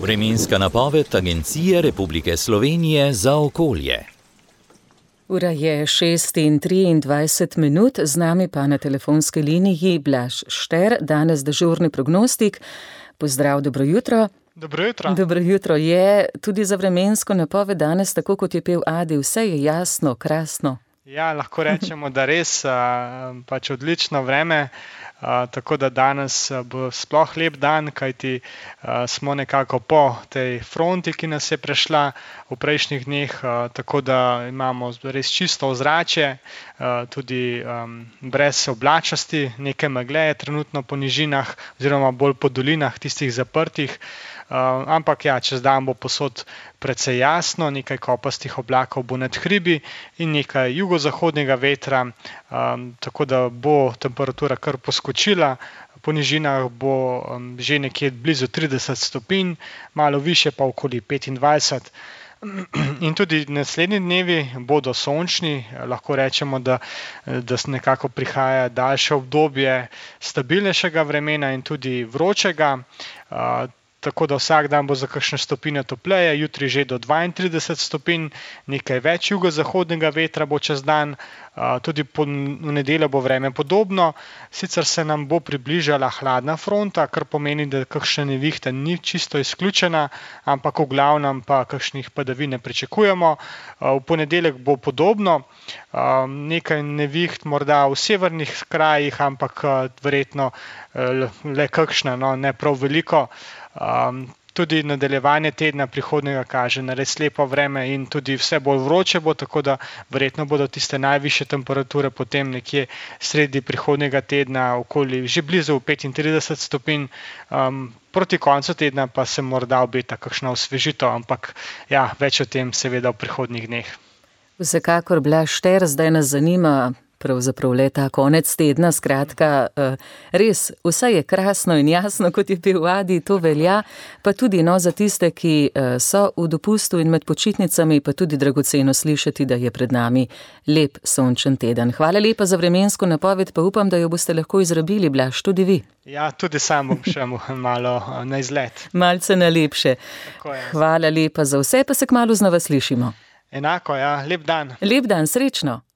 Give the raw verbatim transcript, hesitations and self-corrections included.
Vremenska napoved Agencije Republike Slovenije za okolje. Ura je šest in triindvajset minut, z nami pa na telefonski liniji Blaž Šter, danes dežurni prognostik. Pozdrav, dobro jutro. Dobro jutro. Dobro jutro. Je tudi za vremensko napoved danes, tako kot je pel Adi, vse je jasno, krasno? Ja, lahko rečemo, da res pač odlično vreme. Uh, tako da danes bo sploh lep dan, kajti uh, smo nekako po tej fronti, ki nas je prešla v prejšnjih dneh, uh, tako da imamo res čisto ozračje, uh, tudi um, brez oblačnosti, nekaj megle je trenutno po nižinah oziroma bolj po dolinah, tistih zaprtih. Uh, ampak ja, čez dan bo posod precej jasno, nekaj kopastih oblakov bo nad hribi in nekaj jugozahodnega vetra, um, tako da bo temperatura kar poskočila. Po nižinah bo um, že nekje blizu trideset stopinj, malo više pa okoli petindvajset. In tudi naslednji dnevi bodo sončni, lahko rečemo, da, da nekako prihaja daljše obdobje stabilnejšega vremena in tudi vročega. Uh, Tako da vsak dan bo za kakšne stopinje topleje, jutri že do dvaintrideset stopinj, nekaj več jugozahodnega vetra bo čez dan, tudi po, v nedeljo bo vreme podobno, sicer se nam bo približala hladna fronta, kar pomeni, da kakšna nevihta ni čisto izključena, ampak v glavnem pa kakšnih padavin ne pričakujemo. V ponedeljek bo podobno, nekaj neviht morda v severnih krajih, ampak verjetno le kakšna, no, ne prav veliko. Um, tudi nadaljevanje tedna prihodnjega kaže na res lepo vreme in tudi vse bolj vroče bo, tako da verjetno bodo tiste najvišje temperature potem nekje sredi prihodnjega tedna okoli že blizu petintrideset stopinj, um, proti koncu tedna pa se morda obeta kakšna osvežitev, ampak ja, več o tem seveda v prihodnjih dneh. Vsekakor, Blaž Šter, zdaj nas zanima pravzaprav le ta konec tedna, skratka, res, vse je krasno in jasno, kot je pel Adi, to velja, pa tudi no, za tiste, ki so v dopustu in med počitnicami, pa tudi dragoceno slišati, da je pred nami lep sončen teden. Hvala lepa za vremensko napoved, pa upam, da jo boste lahko izrabili, Blaž, tudi vi. Ja, tudi sam bom šel malo na izlet. Malce na lepše. Hvala lepa za vse, pa se kmalu znova slišimo. Enako, ja, lep dan. Lep dan, srečno.